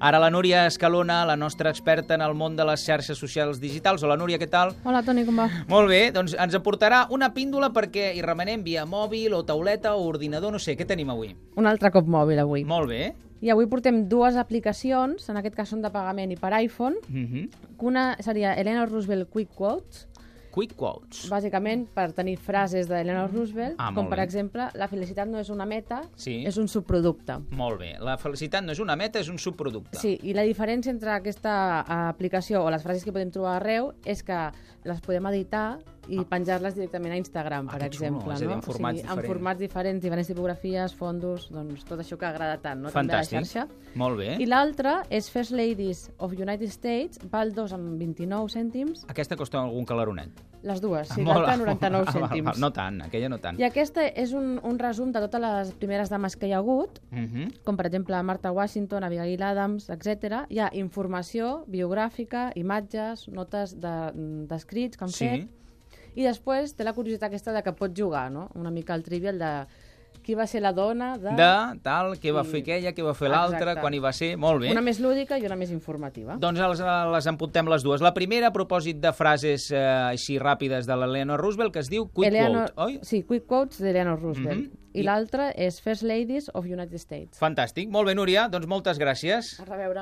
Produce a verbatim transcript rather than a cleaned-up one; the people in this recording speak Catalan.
Ara la Núria Escalona, la nostra experta en el món de les xarxes socials digitals. Hola, Núria, què tal? Hola, Toni, com va? Molt bé, doncs ens aportarà una píndola perquè hi remenem via mòbil o tauleta o ordinador, no sé, què tenim avui? Un altre cop mòbil, avui. Molt bé. I avui portem dues aplicacions, en aquest cas són de pagament i per iPhone. Mm-hmm. Una seria Eleanor Roosevelt Quick Quotes, Quick Quotes. bàsicament per tenir frases d'Eleanor Roosevelt, Ah, com molt per bé. exemple, la felicitat no és una meta, Sí. és un subproducte. Molt bé. La felicitat no és una meta, és un subproducte. Sí, i la diferència entre aquesta eh, aplicació o les frases que podem trobar arreu és que les podem editar i penjar-les directament a Instagram, Ah, per que xulo, exemple. és a dir, en no? formats o sigui, diferents. En formats diferents, diferents tipografies, fondos, doncs tot això que agrada tant, no? També a la Fantàstic. xarxa. Molt bé. I l'altra és First Ladies of United States, val dos amb vint-i-nou cèntims. Aquesta costa algun calaronet. Les dues, sí, Molt- l'altra noranta-nou Ah, val, val, cèntims. No tant, aquella no tant. I aquesta és un, un resum de totes les primeres dames que hi ha hagut, Mhm. com per exemple Martha Washington, Abigail Adams, etcètera. Hi ha informació biogràfica, imatges, notes de- d'escrits que han Sí. fet, i després té la curiositat aquesta de que pots jugar, no? Una mica el trivial de qui va ser la dona de... De tal, què va I- fer aquella, què va fer l'altra, Exacte. quan hi va ser... Molt bé. Una més lúdica i una més informativa. Doncs les, les empuntem les dues. La primera, a propòsit de frases eh, així ràpides de l'Eleanor Roosevelt, que es diu Quick Eleanor- Quote, oi? Sí, Quick Quotes d'Eleanor Roosevelt. Mhm. I I- l'altra és First Ladies of United States. Fantàstic. Molt bé, Núria. Doncs moltes gràcies. A reveure.